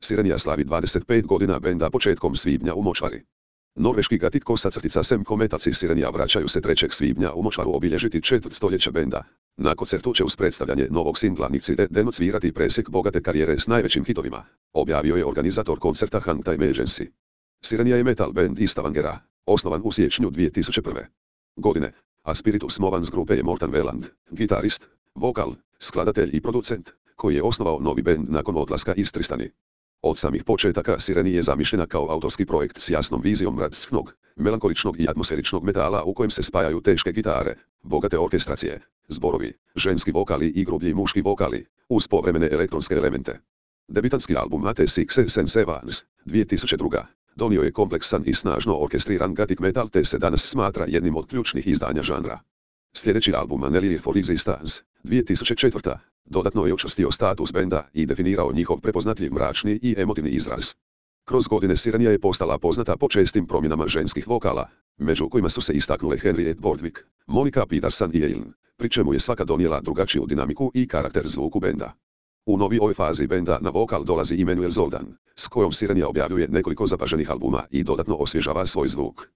Sirenija slavi 25 godina benda početkom svibnja u Močvari. Norveški Gatit Sem Kometaci Sirenija vraćaju se 3. svibnja u Močvaru obilježiti četvrtstoljeće benda. Na koncertu će uz predstavljanje novog singla Nikcide Denot svirati presjek bogate karijere s najvećim hitovima, objavio je organizator koncerta Hangtime Agency. Sirenija je metal band iz Stavangera, osnovan u siječnju 2001. godine, a Spiritus Movans grupe je Morten Veland, gitarist, vokal, skladatelj i producent, koji je osnovao novi bend nakon odlaska iz Tristani. Od samih početaka Sirenija je zamišljena kao autorski projekt s jasnom vizijom mračnog, melankoličnog i atmosferičnog metala u kojem se spajaju teške gitare, bogate orkestracije, zborovi, ženski vokali i grublji muški vokali, uz povremene elektronske elemente. Debitanski album At Sixes and Sevens, 2002. donio je kompleksan i snažno orkestriran gothic metal te se danas smatra jednim od ključnih izdanja žanra. Sljedeći album An for Existence, 2004. dodatno je učvrstio status benda i definirao njihov prepoznatljiv mračni i emotivni izraz. Kroz godine Sirenija je postala poznata po čestim promjenama ženskih vokala, među kojima su se istaknule Henriette Bordwick, Monica Peterson i Eileen, pri čemu je svaka donijela drugačiju dinamiku i karakter zvuku benda. U novijoj fazi benda na vokal dolazi Emmanuel Zoldan, s kojom Sirenija objavljuje nekoliko zapaženih albuma i dodatno osvježava svoj zvuk.